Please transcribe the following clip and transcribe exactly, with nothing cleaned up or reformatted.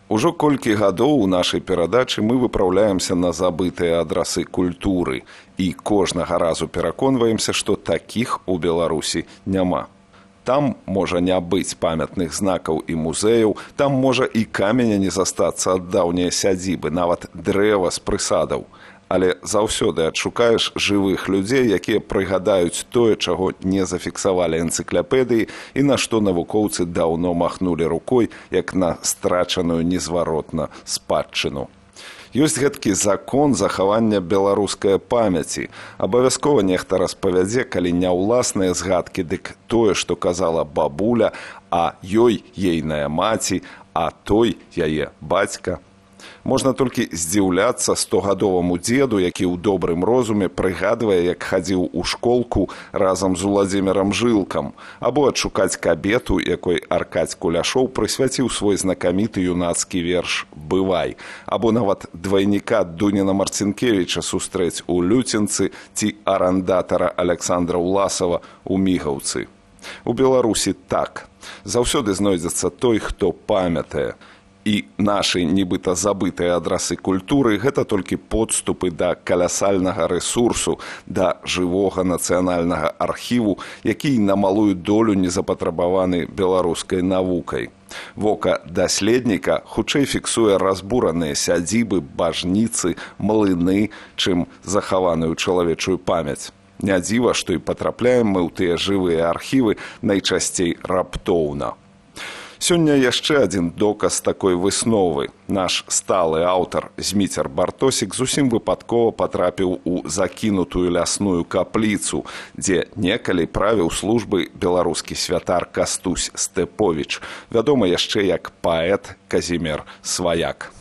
Ужо колькі гадоў у нашай перадачы мы выпраўляемся на забытыя адрасы культуры і кожнага разу пераконваемся, што такіх у Беларусі няма. Там можа не быць памятных знакаў і музеяў, там можа і каменя не застацца ад даўняй сядзібы, нават дрэва з прысадаў. Але заўсёды адшукаеш жывых людзей, якія прыгадаюць тое, чаго не зафіксавалі энцыклапедыі і на што навукоўцы даўно махнулі рукой, як на страчаную незваротна спадчыну. Ёсць гэткі закон захавання беларускай памяці. Абавязкова нехта распавядзе, калі не ўласныя згадкі, дык тое, што казала бабуля, а ёй ейная маці, а той яе бацька. Можна толькі здзіўляцца стогадоваму дзеду, які ў добрым розуме прыгадвае, як хадзіў у школку разам з Уладзімірам Жылкам, або адшукаць кабету, якой Аркадзь Куляшоў прысвяціў свой знакаміты юнацкі верш «Бывай», або нават двайніка Дуніна Марцінкевіча сустрэць у Люцінцы ці арандатара Аляксандра Ўласава у Мігаўцы. У Беларусі так. Заўсёды знойдзецца той, хто памятае. І нашы нібыта забытыя адрасы культуры – гэта толькі подступы да каласальнага рэсурсу, да жывога нацыянальнага архіву, які на малую долю не запатрабаваны беларускай навукай. Вока даследніка хутчэй фіксуе разбураныя сядзібы, бажніцы, млыны, чым захаваную чалавечую памяць. Не дзіва, што і патрапляем мы ў тыя жывыя архівы найчасцей раптоўна. Сёння яшчэ адзін доказ такой высновы. Наш сталы аўтар Зміцер Бартосік зусім выпадкова патрапіў у закінутую лясную капліцу, дзе некалі правіў службы беларускі святар Кастусь Стэповіч, вядомы яшчэ як паэт Казімер Сваяк.